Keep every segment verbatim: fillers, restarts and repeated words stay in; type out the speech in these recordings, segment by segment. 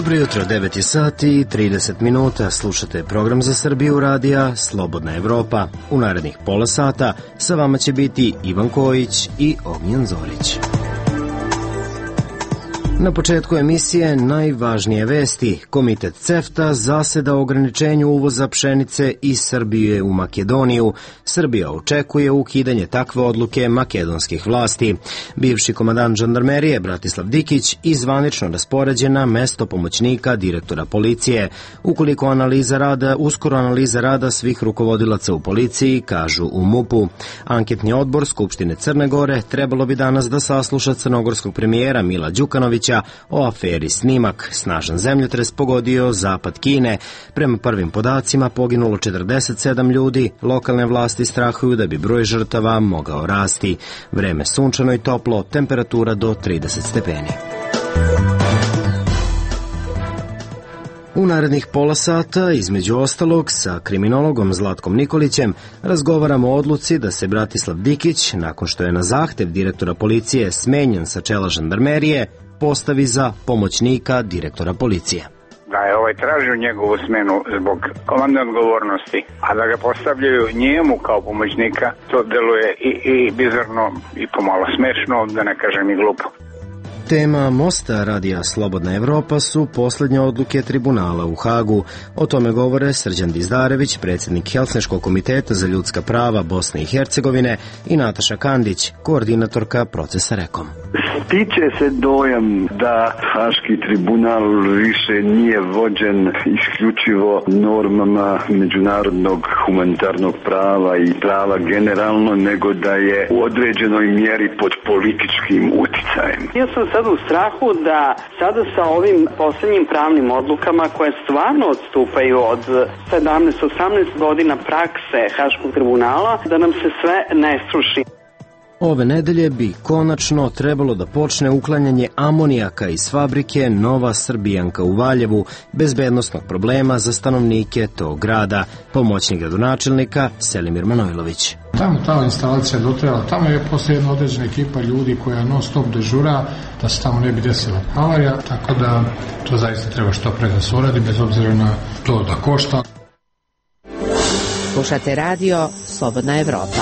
Dobro jutro, devet je sati i trideset minuta. Slušate program za Srbiju radija Slobodna Evropa. U narednih pola sata sa vama će biti Ivan Kojić i Ognjen Zorić. Na početku emisije najvažnije vesti. Komitet CEFTA zaseda o ograničenju uvoza pšenice iz Srbije u Makedoniju. Srbija očekuje ukidanje takve odluke makedonskih vlasti. Bivši komandant žandarmerije Bratislav Dikić izvanično raspoređen na mesto pomoćnika direktora policije. Ukoliko analiza rada, uskoro analiza rada svih rukovodilaca u policiji, kažu u MUP-u. Anketni odbor Skupštine Crne Gore trebalo bi danas da sasluša crnogorskog premijera Mila Đukanovića o aferi Snimak. Snažan zemljotres pogodio zapad Kine. Prema prvim podacima poginulo četrdeset sedam ljudi. Lokalne vlasti strahuju da bi broj žrtava mogao rasti. Vreme sunčano i toplo, temperatura do trideset stepeni. U narednih pola sata, između ostalog, sa kriminologom Zlatkom Nikolićem razgovaramo o odluci da se Bratislav Dikić, nakon što je na zahtev direktora policije smenjen sa čela žandarmerije, postavi za pomoćnika direktora policije. Da je ovaj tražio njegovu smenu zbog komandne odgovornosti, a da ga postavljaju njemu kao pomoćnika, to deluje i, i bizarno i pomalo smešno, da ne kažem i glupo. Tema Mosta radija Slobodna Evropa su posljednje odluke tribunala u Hagu. O tome govore Srđan Dizdarević, predsjednik Helsinškog komiteta za ljudska prava Bosne i Hercegovine, i Nataša Kandić, koordinatorka procesa Rekom. Stiče se dojam da Haški tribunal više nije vođen isključivo normama međunarodnog humanitarnog prava i prava generalno, nego da je u određenoj mjeri pod političkim uticajem. Ja sam sad u strahu da sada sa ovim posljednjim pravnim odlukama koje stvarno odstupaju od sedamnaest osamnaest godina prakse Haškog tribunala, da nam se sve ne sruši. Ove nedelje bi konačno trebalo da počne uklanjanje amonijaka iz fabrike Nova Srbijanka u Valjevu, bezbednosnog problema za stanovnike tog grada. Pomoćnik gradonačelnika Selimir Manojlović. Tamo ta instalacija dotrajala, tamo je poslije jedna određena ekipa ljudi koja non stop dežura da se tamo ne bi desila avarija, tako da to zaista treba što pre da se uradi, bez obzira na to da košta. Slušate radio Slobodna Evropa.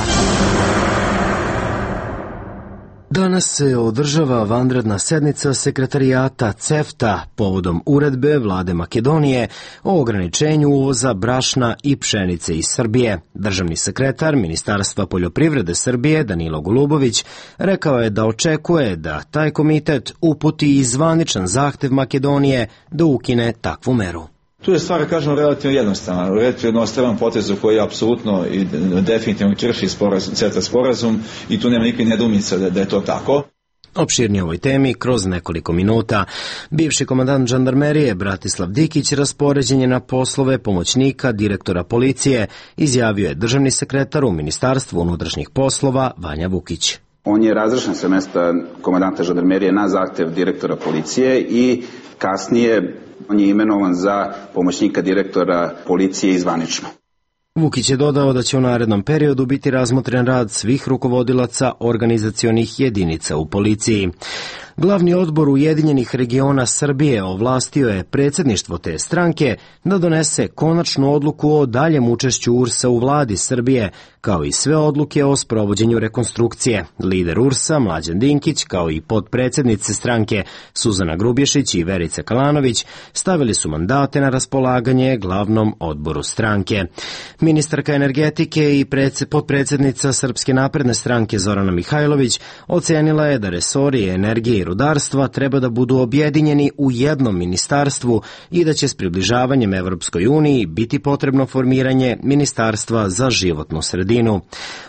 Danas se održava vanredna sednica sekretarijata CEFTA povodom uredbe vlade Makedonije o ograničenju uvoza brašna i pšenice iz Srbije. Državni sekretar Ministarstva poljoprivrede Srbije Danilo Golubović rekao je da očekuje da taj komitet uputi i zvaničan zahtev Makedonije da ukine takvu meru. Tu je stvar, kažemo, relativno jednostavna, relativno jednostavan potez koji je apsolutno i definitivno krši sporazum, CEFTA sporazum, i tu nema nikakve nedoumice da, da je to tako. Opširnije ovoj temi kroz nekoliko minuta. Bivši komandant žandarmerije Bratislav Dikić raspoređen je na poslove pomoćnika direktora policije, izjavio je državni sekretar u Ministarstvu unutrašnjih poslova Vanja Vukić. On je razrešen sa mesta komandanta žandarmerije na zahtev direktora policije i kasnije on je imenovan za pomoćnika direktora policije izvanično. Vukić je dodao da će u narednom periodu biti razmotren rad svih rukovodilaca organizacionih jedinica u policiji. Glavni odbor Ujedinjenih regiona Srbije ovlastio je predsjedništvo te stranke da donese konačnu odluku o daljem učešću U R S-a u vladi Srbije, kao i sve odluke o sprovođenju rekonstrukcije. Lider U R S-a Mlađan Dinkić, kao i potpredsjednice stranke Suzana Grubješić i Verica Kalanović, stavili su mandate na raspolaganje glavnom odboru stranke. Ministarka energetike i potpredsjednica Srpske napredne stranke Zorana Mihajlović ocenila je da resori energije i rudarstva treba da budu objedinjeni u jednom ministarstvu i da će s približavanjem Evropskoj uniji biti potrebno formiranje Ministarstva za životnu sredinu.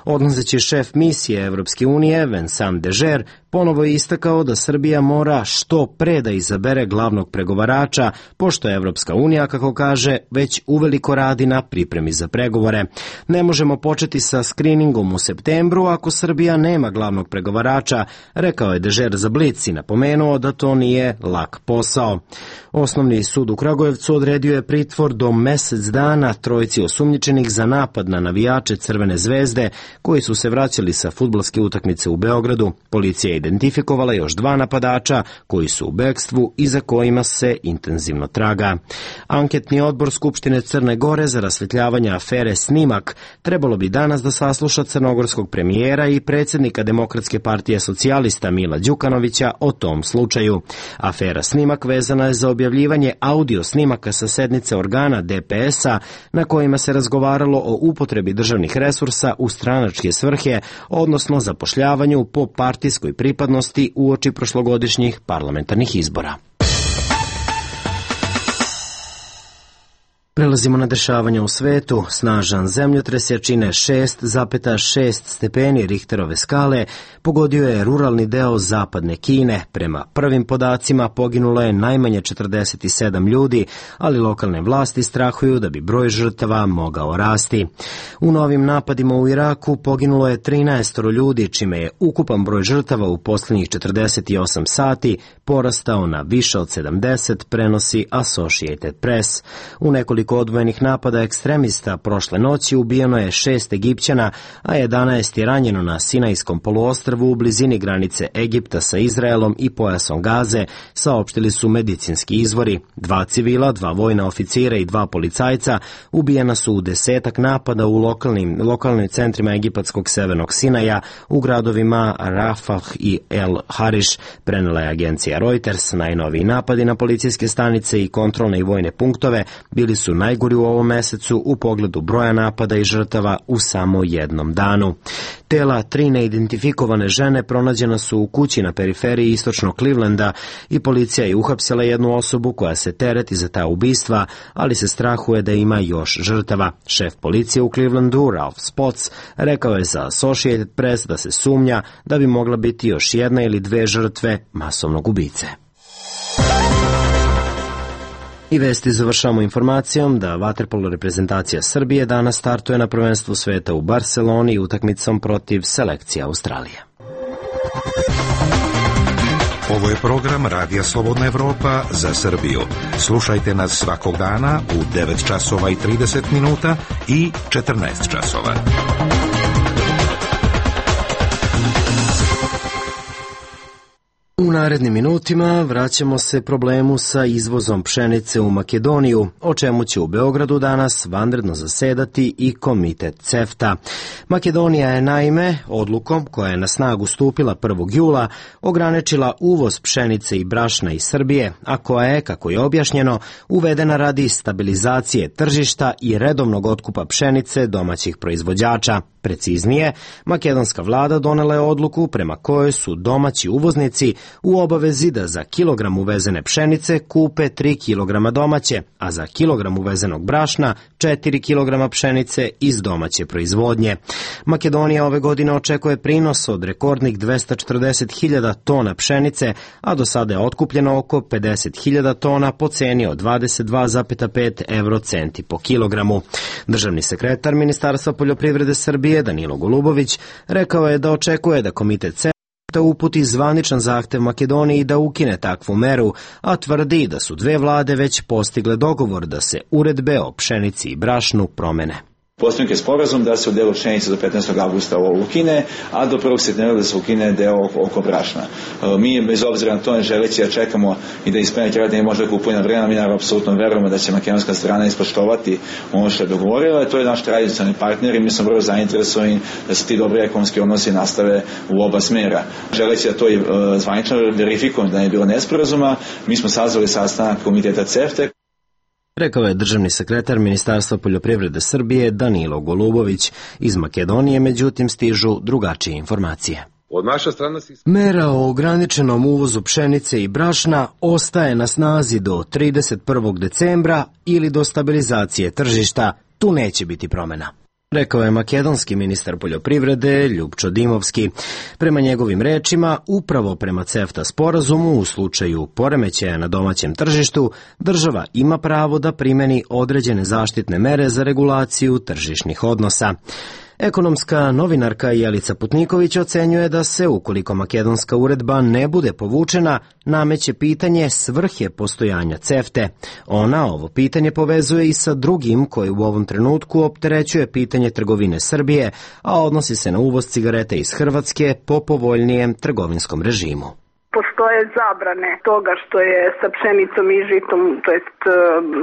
Odlazeći šef misije Evropske unije Vincent Dežer ponovo je istakao da Srbija mora što pre da izabere glavnog pregovarača, pošto je Evropska unija, kako kaže, već uveliko radi na pripremi za pregovore. Ne možemo početi sa skriningom u septembru ako Srbija nema glavnog pregovarača, rekao je Dežer za Blic i napomenuo da to nije lak posao. Osnovni sud u Kragujevcu odredio je pritvor do mesec dana trojici osumnjičenih za napad na navijače Crvene zvezde koji su se vraćali sa fudbalske utakmice u Beogradu. Policija je identifikovala još dva napadača koji su u bekstvu i za kojima se intenzivno traga. Anketni odbor Skupštine Crne Gore za rasvetljavanje afere Snimak trebalo bi danas da sasluša crnogorskog premijera i predsjednika Demokratske partije socijalista Mila Đukanovića o tom slučaju. Afera Snimak vezana je za objavljivanje audio snimaka sa sednice organa D P S-a na kojima se razgovaralo o upotrebi državnih resursa u stranačke svrhe, odnosno zapošljavanju po partijskoj pripadnosti uoči prošlogodišnjih parlamentarnih izbora. Prelazimo na dešavanja u svetu. Snažan zemljotres jačine šest zarez šest stepeni Richterove skale pogodio je ruralni deo zapadne Kine. Prema prvim podacima poginulo je najmanje četrdeset sedam ljudi, ali lokalne vlasti strahuju da bi broj žrtava mogao rasti. U novim napadima u Iraku poginulo je trinaest ljudi, čime je ukupan broj žrtava u posljednjih četrdeset osam sati porastao na više od sedamdeset, prenosi Associated Press. U nekoliko odvojenih napada ekstremista prošle noći ubijeno je šest Egipćana, a jedanaest je ranjeno na Sinajskom poluostrvu u blizini granice Egipta sa Izraelom i pojasom Gaze, saopštili su medicinski izvori. Dva civila, dva vojna oficira i dva policajca ubijena su u desetak napada u lokalnim, lokalnim centrima egipatskog severnog Sinaja, u gradovima Rafah i El Hariš, prenela je agencija Reuters. Najnoviji napadi na policijske stanice i kontrolne i vojne punktove bili su najgori u ovom mesecu u pogledu broja napada i žrtava u samo jednom danu. Tela tri neidentifikovane žene pronađena su u kući na periferiji istočnog Clevelanda i policija je uhapsila jednu osobu koja se tereti za ta ubistva, ali se strahuje da ima još žrtava. Šef policije u Clevelandu, Ralph Spotts, rekao je za Associated Press da se sumnja da bi mogla biti još jedna ili dve žrtve masovnog ubice. I vesti završamo informacijom da vaterpolo reprezentacija Srbije danas startuje na prvenstvu sveta u Barseloni utakmicom protiv selekcije Australije. Ovo je program Radija Slobodna Evropa za Srbiju. Slušajte nas svakog dana u devet časova i trideset minuta i četrnaest časova. U narednim minutima vraćamo se problemu sa izvozom pšenice u Makedoniju, o čemu će u Beogradu danas vanredno zasedati i komitet CEFTA. Makedonija je naime odlukom koja je na snagu stupila prvog jula ograničila uvoz pšenice i brašna iz Srbije, a koja je, kako je objašnjeno, uvedena radi stabilizacije tržišta i redovnog otkupa pšenice domaćih proizvođača. Preciznije, makedonska vlada donela je odluku prema kojoj su domaći uvoznici u obavezi da za kilogram uvezene pšenice kupe tri kilograma domaće, a za kilogram uvezenog brašna četiri kilograma pšenice iz domaće proizvodnje. Makedonija ove godine očekuje prinos od rekordnih dvesta četrdeset hiljada tona pšenice, a do sada je otkupljeno oko pedeset hiljada tona po ceni od dvadeset dva zarez pet evro centi po kilogramu. Državni sekretar Ministarstva poljoprivrede Srbije Danilo Golubović rekao je da očekuje da komitet CEFTA uputi zvaničan zahtev Makedoniji da ukine takvu meru, a tvrdi da su dve vlade već postigle dogovor da se uredbe o pšenici i brašnu promene. Postignut je sporazum da se u delu pšenice do petnaestog avgusta ovo ukine, a do prvog septembra da se ukine deo oko brašna. Mi, bez obzira na to, ne želeći da čekamo i da ispenjati rad ne može da kupuje na vremena, mi naravno apsolutno verujemo da će makedonska strana ispoštovati ono što je dogovorila. To je naš tradicionalni partner i mi smo vrlo zainteresovani da se ti dobri ekonomski odnosi nastave u oba smera. Želeći da to i zvanično verifikujemo da ne je bilo nesporazuma, mi smo sazvali sastanak komiteta CEFTA. Rekao je državni sekretar Ministarstva poljoprivrede Srbije Danilo Golubović. Iz Makedonije, međutim, stižu drugačije informacije. Od naše strane... Mera o ograničenom uvozu pšenice i brašna ostaje na snazi do trideset prvog decembra ili do stabilizacije tržišta. Tu neće biti promjena, rekao je makedonski ministar poljoprivrede Ljupčo Dimovski. Prema njegovim rečima, upravo prema CEFTA sporazumu u slučaju poremećaja na domaćem tržištu, država ima pravo da primeni određene zaštitne mere za regulaciju tržišnih odnosa. Ekonomska novinarka Jelica Putniković ocenjuje da se, ukoliko makedonska uredba ne bude povučena, nameće pitanje svrhe postojanja CEFTA. Ona ovo pitanje povezuje i sa drugim koje u ovom trenutku opterećuje pitanje trgovine Srbije, a odnosi se na uvoz cigareta iz Hrvatske po povoljnijem trgovinskom režimu. Postoje zabrane toga što je sa pšenicom i žitom, to jest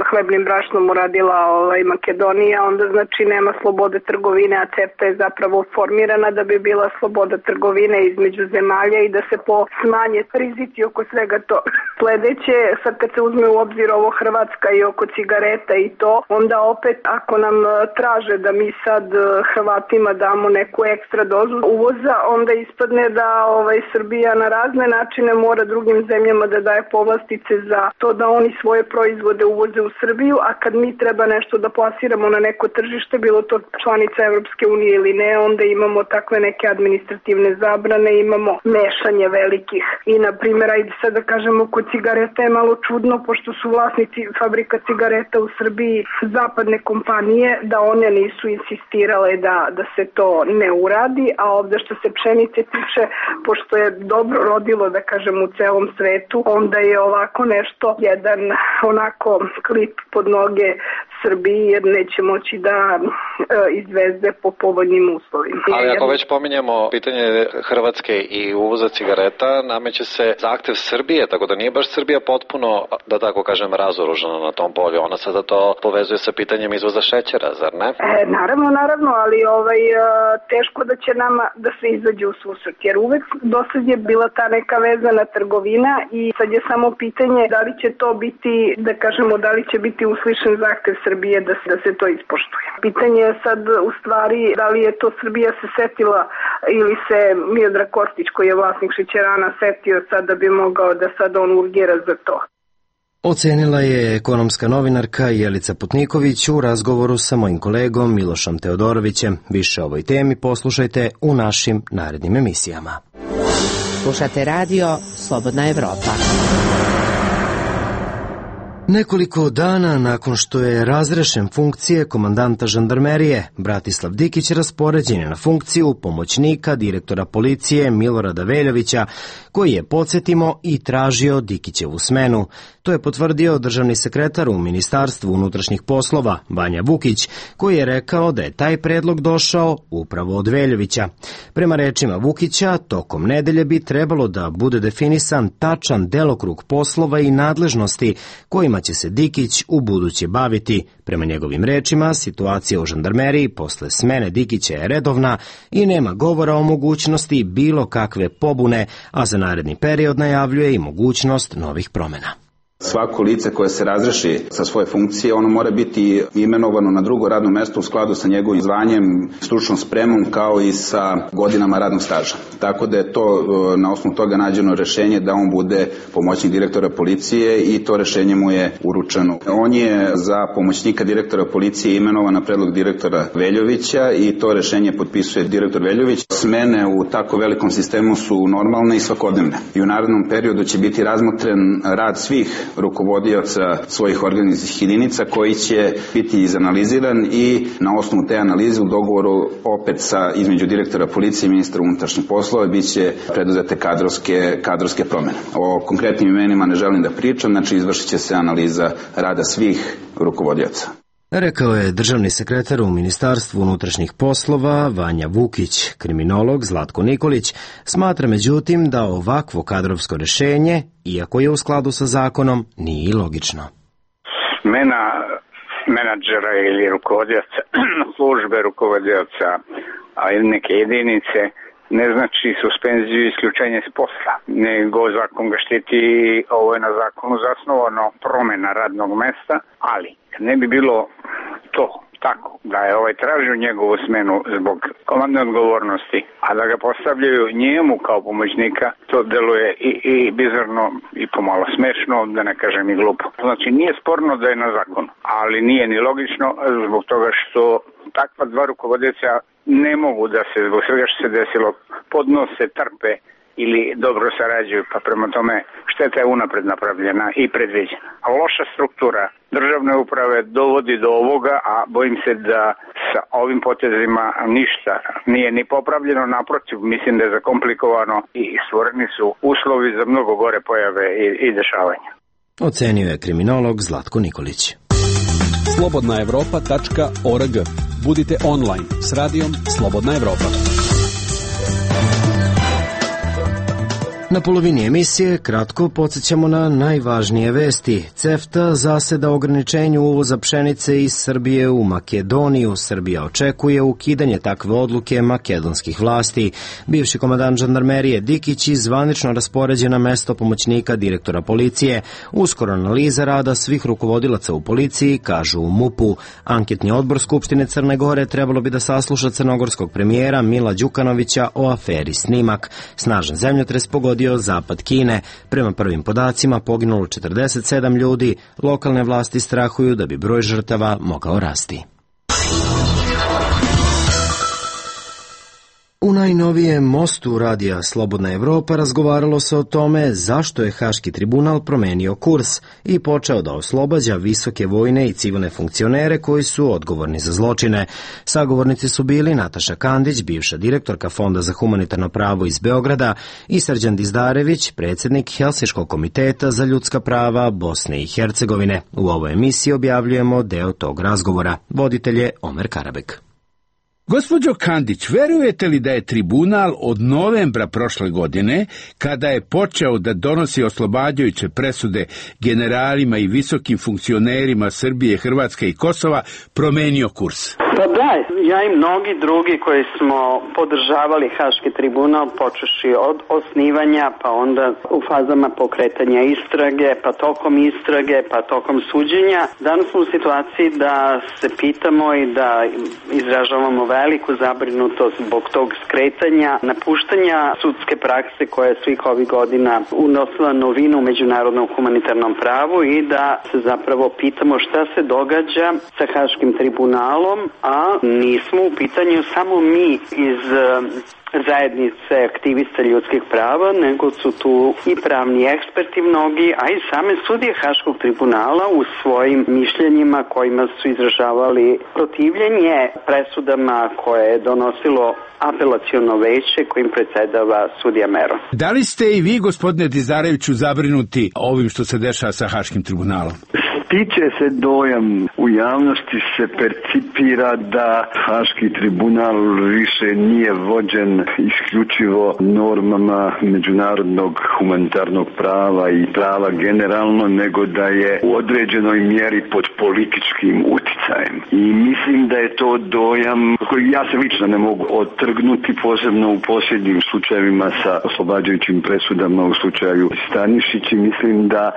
hlebnim brašnom uradila ovaj, Makedonija, onda znači nema slobode trgovine, a CEFTA je zapravo formirana da bi bila sloboda trgovine između zemalja i da se po smanje rizici oko svega to. Sledeće, sad kad se uzme u obzir ovo Hrvatska i oko cigareta i to, onda opet ako nam traže da mi sad Hrvatima damo neku ekstra dozu uvoza, onda ispadne da ovaj, Srbija na razne načine ne mora drugim zemljama da daje povlastice za to da oni svoje proizvode uvoze u Srbiju, a kad mi treba nešto da plasiramo na neko tržište, bilo to članica Evropske unije ili ne, onda imamo takve neke administrativne zabrane, imamo mešanje velikih. I na primjer, ajde sad da kažemo, kod cigareta je malo čudno, pošto su vlasnici fabrika cigareta u Srbiji zapadne kompanije, da one nisu insistirale da, da se to ne uradi, a ovde što se pšenice tiče, pošto je dobro rodilo, da kažem, u celom svetu, onda je ovako nešto, jedan onako klip pod noge Srbiji, jer neće moći da e, izveze po povoljnim uslovima. Ali ako već pominjemo pitanje Hrvatske i uvoza cigareta, nameće se zahtev Srbije, tako da nije baš Srbija potpuno, da tako kažem, razoružana na tom polju. Ona sada to povezuje sa pitanjem izvoza šećera, zar ne? E, naravno, naravno, ali ovaj, teško da će nama da se izađe u susret, jer uvek dosad je bila ta neka vezana trgovina i sad je samo pitanje da li će to biti, da kažemo, da li će biti uslišen zahtev Srbije da se, da se to ispoštuje. Pitanje je sad u stvari da li je to Srbija se setila ili se Miodrag Kostić, koji je vlasnik šećerana, setio sad da bi mogao da sad on urgira za to. Ocenila je ekonomska novinarka Jelica Putniković u razgovoru sa mojim kolegom Milošom Teodorovićem. Više o ovoj temi poslušajte u našim narednim emisijama. Slušate radio Slobodna Evropa. Nekoliko dana nakon što je razrešen funkcije komandanta žandarmerije, Bratislav Dikić raspoređen je na funkciju pomoćnika direktora policije Milorada Veljovića, koji je, podsjetimo, i tražio Dikićevu smenu. To je potvrdio državni sekretar u Ministarstvu unutrašnjih poslova, Vanja Vukić, koji je rekao da je taj predlog došao upravo od Veljovića. Prema rečima Vukića, tokom nedelje bi trebalo da bude definisan tačan delokrug poslova i nadležnosti kojima će se Dikić u buduće baviti. Prema njegovim rečima, situacija u žandarmeriji posle smene Dikića je redovna i nema govora o mogućnosti bilo kakve pobune, a za naredni period najavljuje i mogućnost novih promena. Svako lice koje se razreši sa svoje funkcije, ono mora biti imenovano na drugo radno mesto u skladu sa njegovim zvanjem, stručnom spremom, kao i sa godinama radnog staža. Tako da je to na osnovu toga nađeno rešenje da on bude pomoćnik direktora policije i to rešenje mu je uručeno. On je za pomoćnika direktora policije imenovan na predlog direktora Veljovića i to rešenje potpisuje direktor Veljović. Smene u tako velikom sistemu su normalne i svakodnevne. I u narednom periodu će biti razmotren rad svih rukovodioca svojih organizacijskih jedinica koji će biti izanaliziran i na osnovu te analize u dogovoru opet sa između direktora policije i ministra unutrašnjih poslova biće preduzete kadrovske, kadrovske promene. O konkretnim imenima ne želim da pričam, znači izvršit će se analiza rada svih rukovodioca. Rekao je državni sekretar u Ministarstvu unutrašnjih poslova Vanja Vukić. Kriminolog Zlatko Nikolić smatra međutim da ovakvo kadrovsko rešenje, iako je u skladu sa zakonom, nije logično. Smena menadžera ili rukovodioca službe, rukovodioca ili neke jedinice ne znači suspenziju i isključenje s posla, nego zakon ga štiti, ovo je na zakonu zasnovano promena radnog mesta, ali ne bi bilo to tako da je ovaj tražio njegovu smenu zbog komandne odgovornosti, a da ga postavljaju njemu kao pomoćnika, to deluje i, i bizarno i pomalo smešno, da ne kažem i glupo. Znači nije sporno da je na zakonu, ali nije ni logično zbog toga što takva dva rukovodioca ne mogu da se zbog svega što se desilo podnose, trpe ili dobro sarađuju, pa prema tome šteta je unapred napravljena i predviđena. A loša struktura državne uprave dovodi do ovoga, a bojim se da sa ovim potezima ništa nije ni popravljeno, naprotiv, mislim da je zakomplikovano i stvoreni su uslovi za mnogo gore pojave i, i dešavanja. Ocenio je kriminolog Zlatko Nikolić. slobodna evropa tačka org. Budite online s radijom Slobodna Evropa. Na polovini emisije kratko podsjećamo na najvažnije vesti. CEFTA zaseda ograničenju uvoza pšenice iz Srbije u Makedoniju. Srbija očekuje ukidanje takve odluke makedonskih vlasti. Bivši komandant žandarmerije Dikić i zvanično raspoređen na mesto pomoćnika direktora policije. Uskoro analiza rada svih rukovodilaca u policiji, kažu u MUP-u. Anketni odbor Skupštine Crne Gore trebalo bi da sasluša crnogorskog premijera Mila Đukanovića o aferi Snimak. Snažan zemljotres pogodio zapad Kine. Prema prvim podacima poginulo četrdeset sedam ljudi. Lokalne vlasti strahuju da bi broj žrtava mogao rasti. U najnovijem mostu radija Slobodna Evropa razgovaralo se o tome zašto je Haški tribunal promenio kurs i počeo da oslobađa visoke vojne i civilne funkcionere koji su odgovorni za zločine. Sagovornici su bili Nataša Kandić, bivša direktorka Fonda za humanitarno pravo iz Beograda, i Srđan Dizdarević, predsjednik Helsinškog komiteta za ljudska prava Bosne i Hercegovine. U ovoj emisiji objavljujemo deo tog razgovora. Voditelj je Omer Karabek. Gospođo Kandić, verujete li da je tribunal od novembra prošle godine, kada je počeo da donosi oslobađajuće presude generalima i visokim funkcionerima Srbije, Hrvatske i Kosova, promenio kurs? Pa da, ja i mnogi drugi koji smo podržavali Haški tribunal, počeši od osnivanja, pa onda u fazama pokretanja istrage, pa tokom istrage, pa tokom suđenja. Danas smo u situaciji da se pitamo i da izražavamo veliku zabrinutost zbog tog skretanja, napuštanja sudske prakse koja je svih ovih godina unosila novinu u međunarodnom humanitarnom pravu i da se zapravo pitamo šta se događa sa Haškim tribunalom, a nismo u pitanju samo mi iz zajednice aktivista ljudskih prava, nego su tu i pravni eksperti mnogi, a i same sudije Haškog tribunala u svojim mišljenjima kojima su izražavali protivljenje presudama koje je donosilo apelaciono veće kojim predsedava sudija Mero. Da li ste i vi, gospodine Dizareviću, zabrinuti ovim što se dešava sa Haškim tribunalom? Stiče se dojam, u javnosti se percipira da Haški tribunal više nije vođen isključivo normama međunarodnog humanitarnog prava i prava generalno, nego da je u određenoj mjeri pod političkim uticajem. I mislim da je to dojam koji ja se lično ne mogu otrgnuti, posebno u posljednjim slučajevima sa oslobađajućim presudama u slučaju Stanišić, i mislim da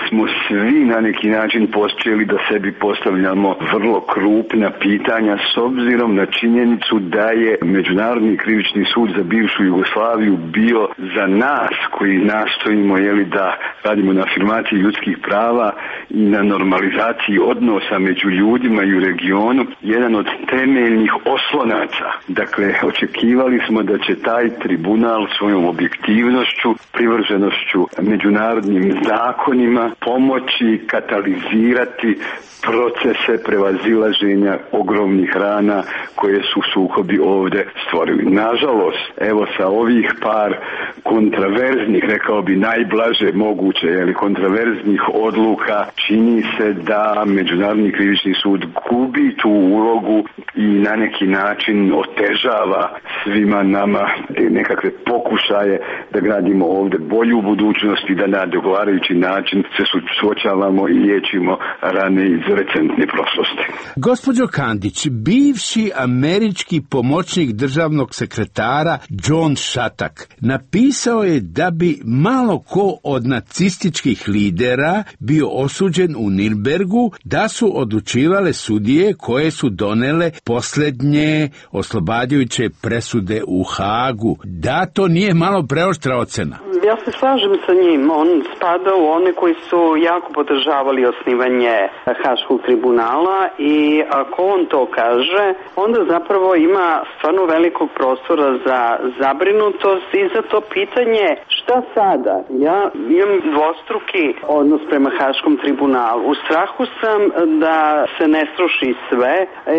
smo svi na neki način počeli da sebi postavljamo vrlo krupna pitanja s obzirom na činjenicu da je Međunarodni krivični sud za bivšu Jugoslaviju bio za nas koji nastojimo jeli, da radimo na afirmaciji ljudskih prava i na normalizaciji odnosa među ljudima i u regionu jedan od temeljnih oslonaca. Dakle, očekivali smo da će taj tribunal svojom objektivnošću, privrženošću međunarodnim zakonima pomoći katalizirati procese prevazilaženja ogromnih rana koje su sukobi ovdje stvorili. Nažalost, evo sa ovih par kontraverznih, rekao bi najblaže moguće, jeli, kontraverznih odluka, čini se da Međunarodni krivični sud gubi tu ulogu i na neki način otežava svima nama nekakve pokušaje da gradimo ovdje bolju budućnost i da na dogovarajući način se suočavamo i liječimo rane iz recentne prošlosti. Gospođo Kandić, bivši američki pomoćnik državnog sekretara John Shattuck napisao je da bi malo ko od nacističkih lidera bio osuđen u Nirnbergu, da su odlučivale sudije koje su donele posljednje oslobađajuće presude u Hagu. Da to nije malo preoštra ocena? Ja se slažem sa njim. On spada u one koji su jako podržavali osnivanje Haškog tribunala i ako on to kaže, onda zapravo ima stvarno velikog prostora za zabrinutost i za to pitanje šta sada? Ja imam dvostruki odnos prema Haškom tribunalu. U strahu sam da se ne sruši sve.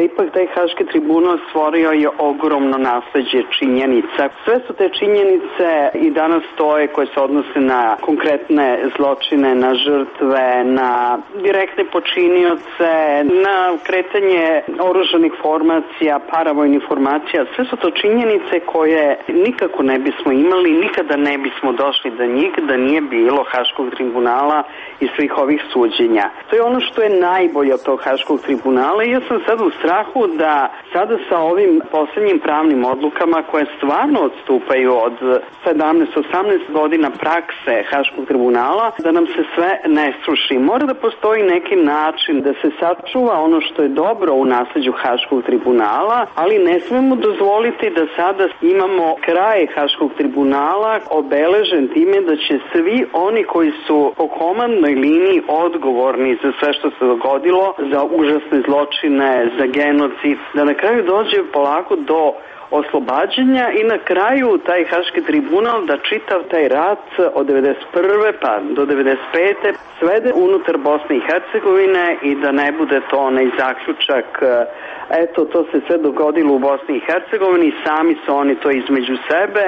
Ipak taj Haški tribunal stvorio je ogromno nasleđe činjenica. Sve su te činjenice i danas stoje koje se odnose na konkretne zločine, na žrtve, na direktne počinioce, na kretanje oružanih formacija, paravojnih formacija. Sve su to činjenice koje nikako ne bismo imali, nikada ne bismo došli do njih da nije bilo Haškog tribunala i svih ovih suđenja. To je ono što je najbolje od tog Haškog tribunala i ja sam sad u strahu da sada sa ovim posljednjim pravnim odlukama koje stvarno odstupaju od sedamnaest osamnaest godina prakse Haškog tribunala, da nam se sve ne sruši. Mora da postoji neki način da se sačuva ono što je dobro u nasleđu Haškog tribunala, ali ne smemo dozvoliti da sada imamo kraj Haškog tribunala obeležen time da će svi oni koji su po komandnoj liniji odgovorni za sve što se dogodilo, za užasne zločine, za genocid, da na kraju dođe polako do oslobađanja i na kraju taj Haški tribunal da čitav taj rat od devedeset prve pa do devedeset pete svede unutar Bosne i Hercegovine i da ne bude to onaj zaključak eto to se sve dogodilo u Bosni i Hercegovini, sami su oni to između sebe,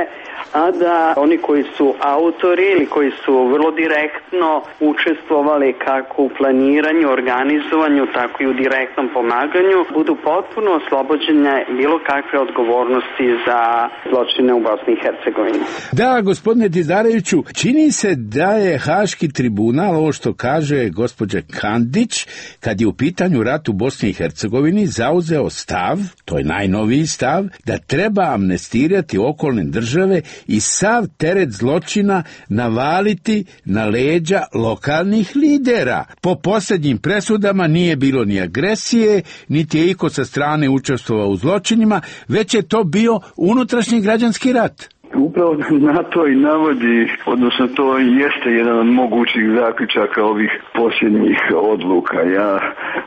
a da oni koji su autori ili koji su vrlo direktno učestvovali kako u planiranju, organizovanju, tako i u direktnom pomaganju, budu potpuno oslobođene bilo kakve odgovornosti za zločine u Bosni i Hercegovini. Da, gospodine Didareviću, čini se da je Haški tribunal, ovo što kaže gospođa Kandić, kad je u pitanju rat u Bosni i Hercegovini, zauzeo stav, to je najnoviji stav, da treba amnestirati okolne države i sav teret zločina navaliti na leđa lokalnih lidera. Po posljednjim presudama nije bilo ni agresije, niti je iko sa strane učestvovao u zločinima, već je to bio unutrašnji građanski rat. Upravo na to i navodi, odnosno to jeste jedan od mogućih zaključaka ovih posljednjih odluka. Ja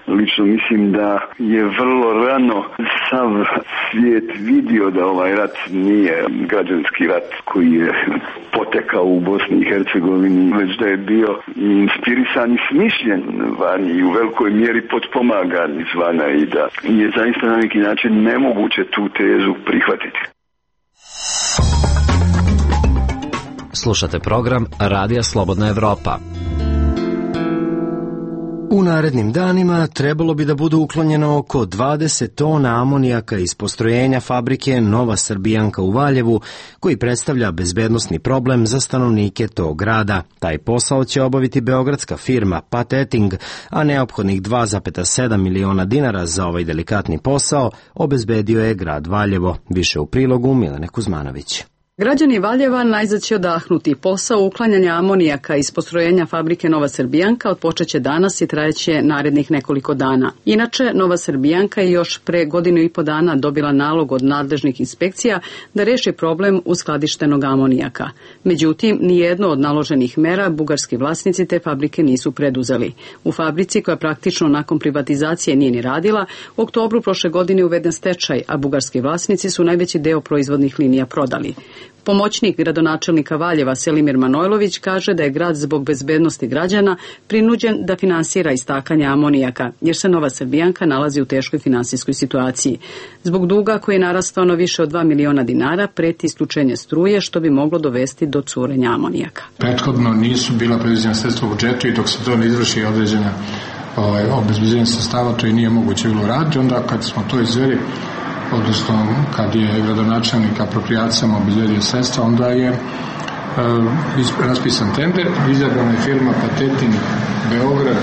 lično mislim da je vrlo rano sav svijet vidio da ovaj rat nije građanski rat koji je potekao u Bosni i Hercegovini, već da je bio inspirisan i smišljen vani i u velikoj mjeri potpomagan izvana i da je zaista na neki način nemoguće tu tezu prihvatiti. Slušate program Radija Slobodna Evropa. U narednim danima trebalo bi da bude uklonjeno oko dvadeset tona amonijaka iz postrojenja fabrike Nova Srbijanka u Valjevu, koji predstavlja bezbednosni problem za stanovnike tog grada. Taj posao će obaviti beogradska firma Pateting, a neophodnih dva zarez sedam miliona dinara za ovaj delikatni posao obezbedio je grad Valjevo. Više u prilogu Milene Kuzmanović. Građani Valjeva najzad će odahnuti. Posao uklanjanja amonijaka iz postrojenja fabrike Nova Srbijanka odpočeće danas i trajeće narednih nekoliko dana. Inače, Nova Srbijanka je još pre godinu i po dana dobila nalog od nadležnih inspekcija da reši problem uskladištenog amonijaka. Međutim, nijedno od naloženih mera bugarski vlasnici te fabrike nisu preduzeli. U fabrici, koja praktično nakon privatizacije nije ni radila, u oktobru prošle godine uveden stečaj, a bugarski vlasnici su najveći deo proizvodnih linija prodali. Pomoćnik gradonačelnika Valjeva Selimir Manojlović kaže da je grad zbog bezbednosti građana prinuđen da finansira istakanje amonijaka, jer se Nova Srbijanka nalazi u teškoj finansijskoj situaciji. Zbog duga koji je narastao na više od dva miliona dinara, preti isključenje struje, što bi moglo dovesti do curenja amonijaka. Prethodno nisu bila predviđena sredstva u budžetu i dok se to ne izvrši određena ovaj, obezbeđenje sredstava, to i nije moguće bilo raditi. Onda kad smo to izveli, odnosno kad je gradonačelnik aproprijacijama obezbedio sredstva, onda je e, raspisan tender, izabrana je firma Pateting Beograd,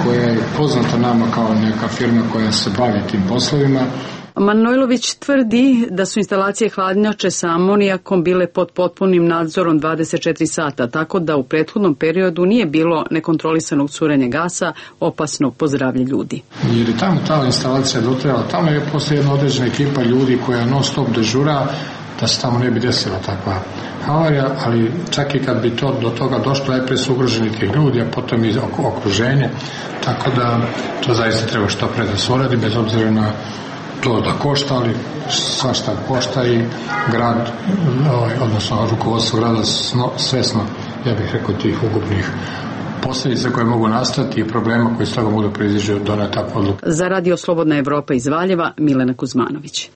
koja je poznata nama kao neka firma koja se bavi tim poslovima. Manojlović tvrdi da su instalacije hladnjače sa amonijakom bile pod potpunim nadzorom dvadeset četiri sata, tako da u prethodnom periodu nije bilo nekontrolisanog curenja gasa opasnog po zdravlje ljudi. Jer je tamo ta instalacija dotrajala, tamo je posle jedna određena ekipa ljudi koja non stop dežura da se tamo ne bi desila takva havarija, ali čak i kad bi to do toga došlo, najprije su ugroženi tih ljudi, a potom i okruženje, tako da to zaista treba što pre da se uradi, bez obzira na to da košta, ali svašta košta i grad, odnosno rukovodstvo grada svesno, ja bih rekao, tih ugubnih posljedica koje mogu nastati i problema koji s toga mogu proizići od doneta takvu odluku. Za Radio Slobodna Evropa iz Valjeva, Milena Kuzmanović.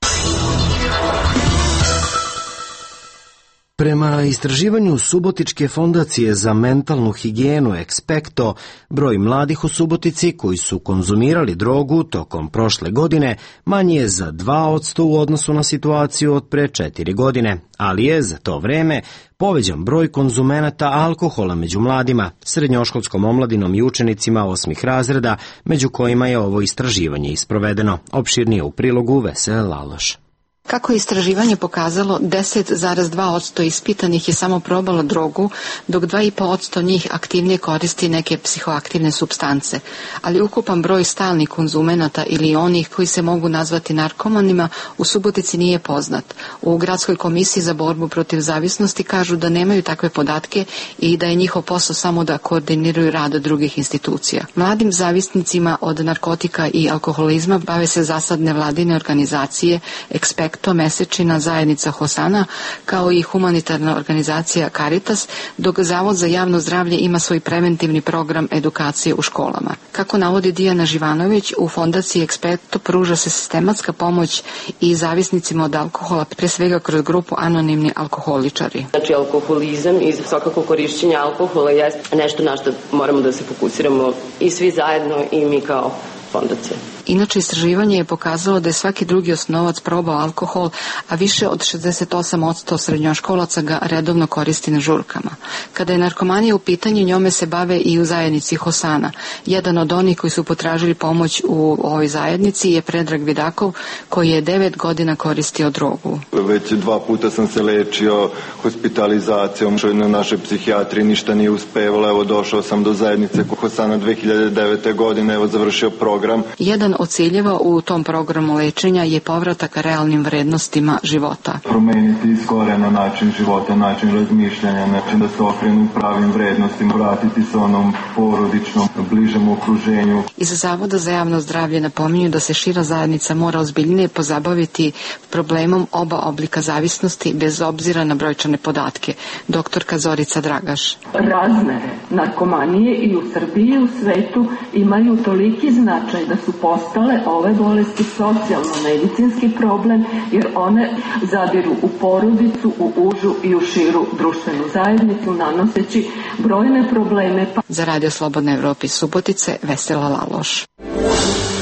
Prema istraživanju Subotičke fondacije za mentalnu higijenu Expecto, broj mladih u Subotici koji su konzumirali drogu tokom prošle godine manji je za dva posto u odnosu na situaciju od pre četiri godine, ali je za to vreme povećan broj konzumenata alkohola među mladima, srednjoškolskom omladinom i učenicima osmih razreda, među kojima je ovo istraživanje isprovedeno. Opširnije u prilogu Vesele Laloš. Kako je istraživanje pokazalo, deset zarez dva posto ispitanih je samo probalo drogu, dok dva i po posto njih aktivnije koristi neke psihoaktivne supstance, ali ukupan broj stalnih konzumenata ili onih koji se mogu nazvati narkomanima u Subotici nije poznat. U Gradskoj komisiji za borbu protiv zavisnosti kažu da nemaju takve podatke i da je njihov posao samo da koordiniraju rad drugih institucija. Mladim zavisnicima od narkotika i alkoholizma bave se zasad nevladine organizacije, Expect to mesečina zajednica Hosana, kao i humanitarna organizacija Caritas, dok Zavod za javno zdravlje ima svoj preventivni program edukacije u školama. Kako navodi Dijana Živanović, u fondaciji Expecto pruža se sistematska pomoć i zavisnicima od alkohola, pre svega kroz grupu anonimni alkoholičari. Znači, alkoholizam i svakako korišćenje alkohola je nešto na što moramo da se fokusiramo i svi zajedno i mi kao fondacija. Inače, istraživanje je pokazalo da je svaki drugi osnovac probao alkohol, a više od šezdeset osam posto srednjoškolaca ga redovno koristi na žurkama. Kada je narkomanija u pitanju, njome se bave i u zajednici Hosana. Jedan od onih koji su potražili pomoć u ovoj zajednici je Predrag Vidakov, koji je devet godina koristio drogu. Već dva puta sam se lečio hospitalizacijom, što je na našoj psihijatri ništa nije uspevalo. Evo, došao sam do zajednice Hosana dve hiljade devete. godine, evo, završio program. Jedan od ciljeva u tom programu lečenja je povratak realnim vrednostima života. Promeniti iz korena način života, način razmišljanja, način da se okrenu pravim vrednostima, vratiti se onom porodičnom, bližem okruženju. Iz Zavoda za javno zdravlje napominju da se šira zajednica mora ozbiljnije pozabaviti problemom oba oblika zavisnosti bez obzira na brojčane podatke. Doktorka Zorica Dragaš. Razmere narkomanije i u Srbiji i u svetu imaju toliki značaj da su postale ove bolesti socijalno-medicinski problem, jer one zadiru u porodicu, u užu i u širu društvenu zajednicu, nanoseći brojne probleme. Za Radio Slobodna Evropa iz Subotice, Vesela Laloš.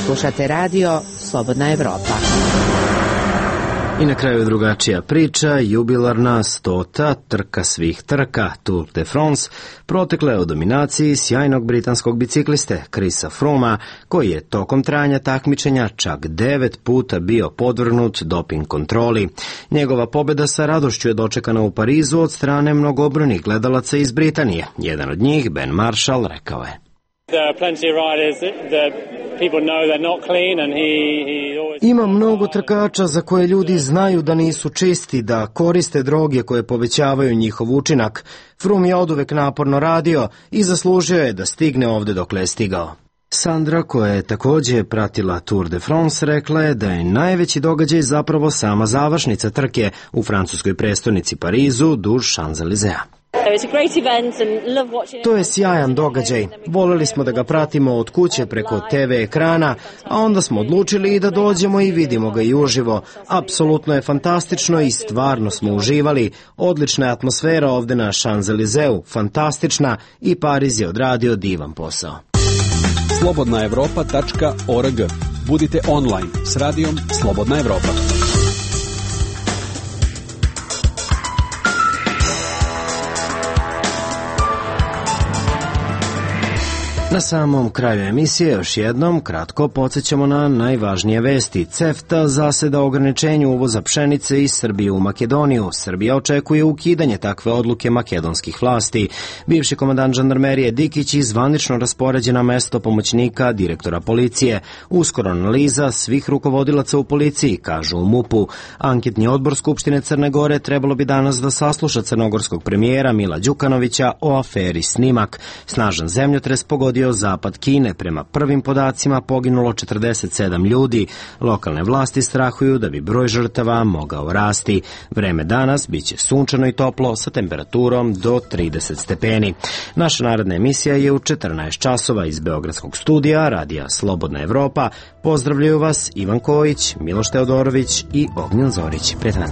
Slušate Radio Slobodna Evropa. I na kraju drugačija priča, jubilarna stota trka svih trka, Tour de France, protekla je u dominaciji sjajnog britanskog bicikliste Chrisa Froomea, koji je tokom trajanja takmičenja čak devet puta bio podvrgnut doping kontroli. Njegova pobjeda sa radošću je dočekana u Parizu od strane mnogobrojnih gledalaca iz Britanije. Jedan od njih, Ben Marshall, rekao je: Ima mnogo trkača za koje ljudi znaju da nisu čisti, da koriste droge koje povećavaju njihov učinak. Froome je oduvek naporno radio i zaslužio je da stigne ovde dokle je stigao. Sandra, koja je također pratila Tour de France, rekla je da je najveći događaj zapravo sama završnica trke u francuskoj prestonici Parizu duž Champs-Élysées. To je sjajan događaj. Voleli smo da ga pratimo od kuće preko te ve ekrana, a onda smo odlučili i da dođemo i vidimo ga i uživo. Apsolutno je fantastično i stvarno smo uživali. Odlična je atmosfera ovde na Champs-Élysées, fantastična, i Pariz je odradio divan posao. slobodna evropa tačka org. Budite online s radijom Slobodna Evropa. Na samom kraju emisije još jednom kratko podsjećamo na najvažnije vesti. CEFTA zaseda ograničenju uvoza pšenice iz Srbije u Makedoniju. Srbija očekuje ukidanje takve odluke makedonskih vlasti. Bivši komandant žandarmerije Dikić i zvanično raspoređen na mesto pomoćnika direktora policije. Uskoro analiza svih rukovodilaca u policiji, kažu u MUP-u. Anketni odbor Skupštine Crne Gore trebalo bi danas da sasluša crnogorskog premijera Mila Đukanovića o aferi Snimak. Snažan zemljotres pogodio zapad Kine. Prema prvim podacima poginulo četrdeset sedam ljudi. Lokalne vlasti strahuju da bi broj žrtava mogao rasti. Vreme danas biće sunčano i toplo sa temperaturom do trideset stepeni. Naša naredna emisija je u četrnaest časova iz Beogradskog studija Radija Slobodna Evropa. Pozdravljaju vas Ivan Kojić, Miloš Teodorović i Ognjen Zorić. Prijetan.